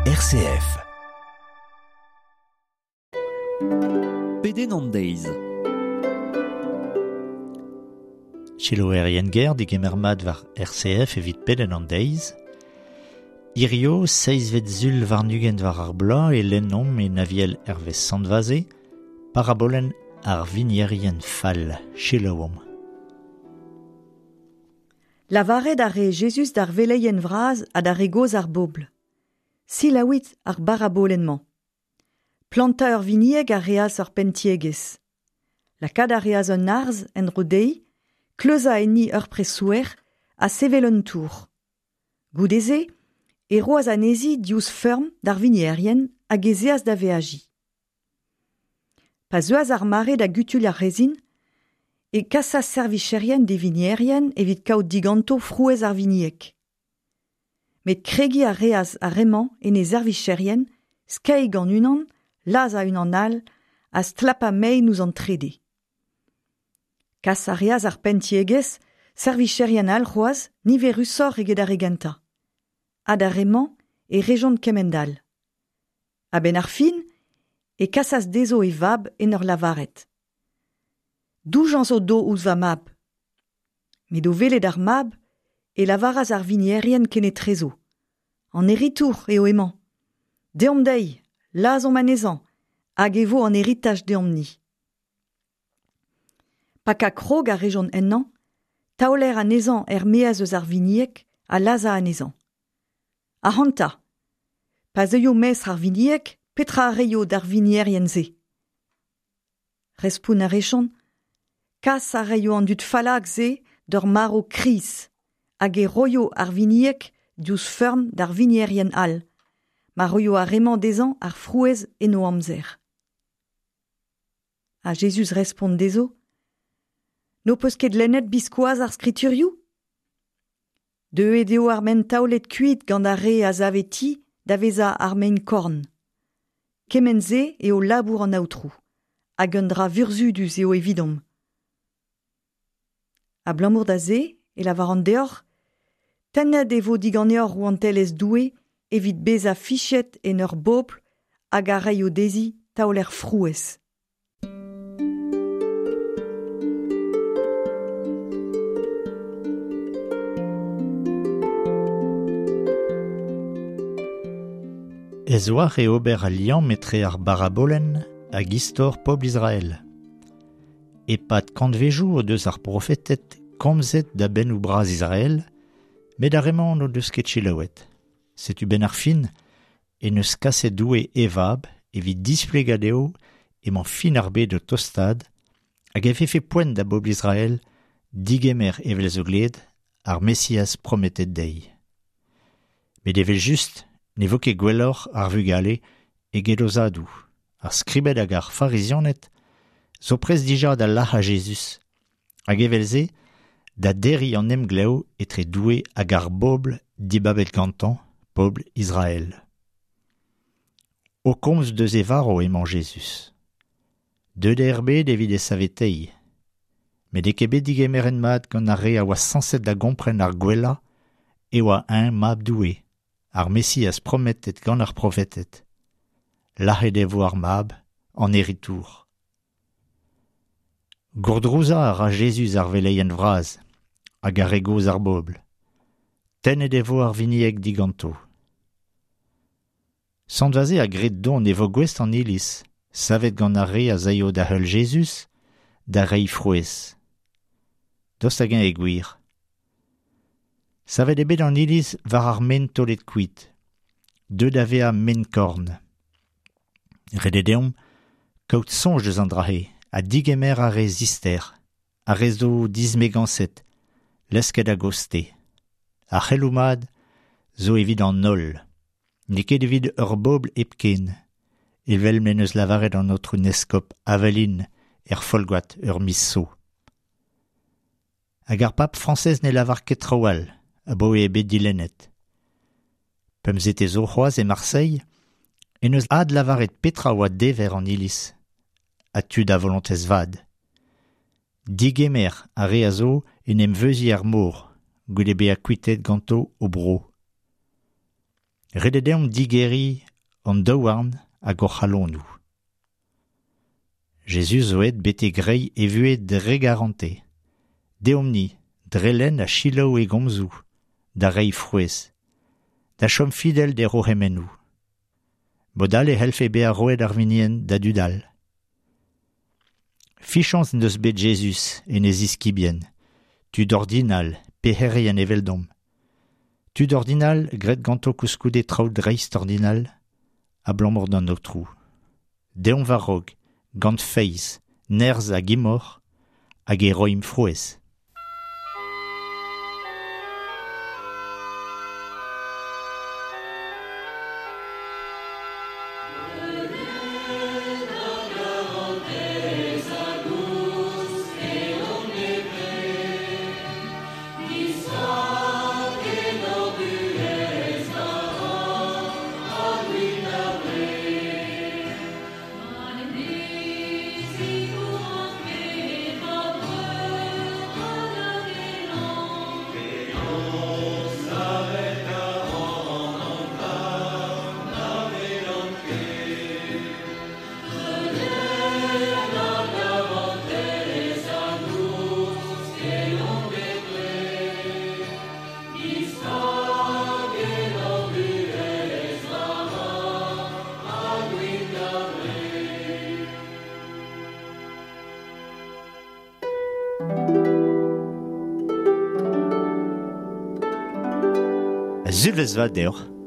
RCF. Pedenn an deiz. Selaouerien ger digemer mat war RCF evit pedenn an deiz. Hirio, seizvet sul warn-ugent war ar bloaz e lennomp e Naviel Hervez Sant-Vaze, parabolenn ar vinierien fall. Selaouomp. Lavaret a re Jezuz d'ar veleien vras ha d'ar re gozh ar bobl. Selaouit ar barabolenn-mañ. Plantañ ur vinieg a reas ur penn-tiegezh. Lakaat a reas un arzh en-dro dezhi, kleuzañ enni ur presouer ha sevel un tour. Goude-se e roas anezhi diouzh feurm d'ar vinierien hag ez eas da veajiñ. Pa zeuas ar mare da gutuilh ar rezin, e kasas servicherien d'e vinierien evit kaout diganto frouezh ar vinieg. Met kregiñ a reas ar re-mañ en e servicherien, skeiñ gant unan, lazhañ unan all ha stlapañ mein ouzh an trede. Kas a reas ar penn-tiegezh servicherien all c'hoazh niverusoc'h eget ar re gentañ. Ha d'ar re-mañ e rejont kement-all. A-benn ar fin e kasas dezho e vab en ur lavaret Doujañs o do ouzh va mab. Met o welet ar mab e lavaras ar vinierien kenetrezo An heritour eo emañ. Deomp dezhi, lazhomp anezhañ, hag e vo an heritaj deomp-ni. Pakañ krog a rejont ennañ, taoler anezhañ er-maez eus ar vinieg ha lazhañ anezhañ. Ac'hanta, pa zeuio mestr ar vinieg, petra a reio d'ar vinierien-se? Respont a rejont, Kas a raio an dud fallakr-se d'ur marv kriz. Hag e roio ar vinieg diouzh feurm d'ar vinierien all, ma roio ar re-mañ dezhañ ar frouezh en o amzer. Ha Jezuz respont dezho, N'ho peus ket lennet biskoazh ar skriturioù? Deuet eo ar maen taolet kuit gant ar re a save ti da vezañ ar maen-korn. Kement-se eo labour an Aotrou, hag un dra vurzhudus eo evidomp. Abalamour da se e lavaran deoc'h, tennet e vo diganeoc'h rouantelezh Doue evit bezañ fichet en ur bobl hag a raio dezhi taoler frouezh. Ez oar e ober al liamm etre ar barabolenn hag istor pobl Israel. E-pad kantvejoù o deus ar profeted komzet da bennoù bras Israel, met ar re-mañ n'o deus ket selaouet. Setu benn ar fin en deus kaset Doue e vab evit displegañ dezho emañ fin ar bed o tostaat hag e vefe poent da bobl Israel digemer evel zo gleet ar Mesiaz prometet dezhi. Met evel-just ne vo ket gwelloc'h ar vugale eget o zadoù. Ar skribed hag ar farizianed zo prest dija da lac'hañ Jezuz, hag evel-se da derriñ an emglev etre Doue hag ar bobl dibabet gantañ, pobl Israel. O komz deus e varv emañ Jezuz. Deuet eo er bed evit e saveteiñ. Met n'eo ket bet digemeret mat gant ar re a oa sañset da gompren ar gwellañ e oa eñ mab Doue, ar Mesiaz prometet gant ar profeted. Lazhet e vo ar mab, an heritour. Gourdrouzañ a ra Jezuz ar veleien vras hag ar re gozh ar bobl. Tennet e vo ar vinieg diganto. Sant Vaze a gred dont e vo gouest an iliz, savet gant ar re a zaio da heul Jezuz, da reiñ frouezh. Daoust hag-eñ eo gwir? Savet eo bet an iliz war ar maen taolet kuit, deuet da vezañ maen-korn. Ret eo deomp kaout soñj eus an dra-se ha digemer ar re zister, ar re zo dismegañset, lesket a-gostez. Ar c'heloù mat zo evit an holl, n'eo ket evit ur bobl hepken, evel m'en deus lavaret an aotrou 'n eskob Avelin er Folgoad ur miz zo. Hag ar pab Frañsez ne lavar ket traoù all abaoe eo bet dilennet. Pemzetez zo c'hoazh e Marseille en deus adlavaret petra oa dever an Iliz ha tud a volontez vat. Digemer ar re a zo en em veuziñ er mor goude bezañ kuitaet ganto o bro. Ret eo deomp digeriñ hon daouarn hag hor c'halonoù. Jezuz zo aet betek reiñ e vuhez dre garantez. Deomp-ni, dre lenn ha selaou e gomzoù, da reiñ frouezh, da chom fidel d'e c'hourc'hemennoù. Mod all e c'hellfe bezañ roet ar vinienn da dud all. Fichañs en deus bet Jezuz en e ziskibien, tud ordinal, pec'herien eveldomp. Tud ordinal graet ganto koulskoude traoù dreist-ordinal, abalamour d'an Aotrou. Deomp war-raok, gant feiz, nerzh hag imor, hag e roimp frouezh. Sulvezh vat deoc'h.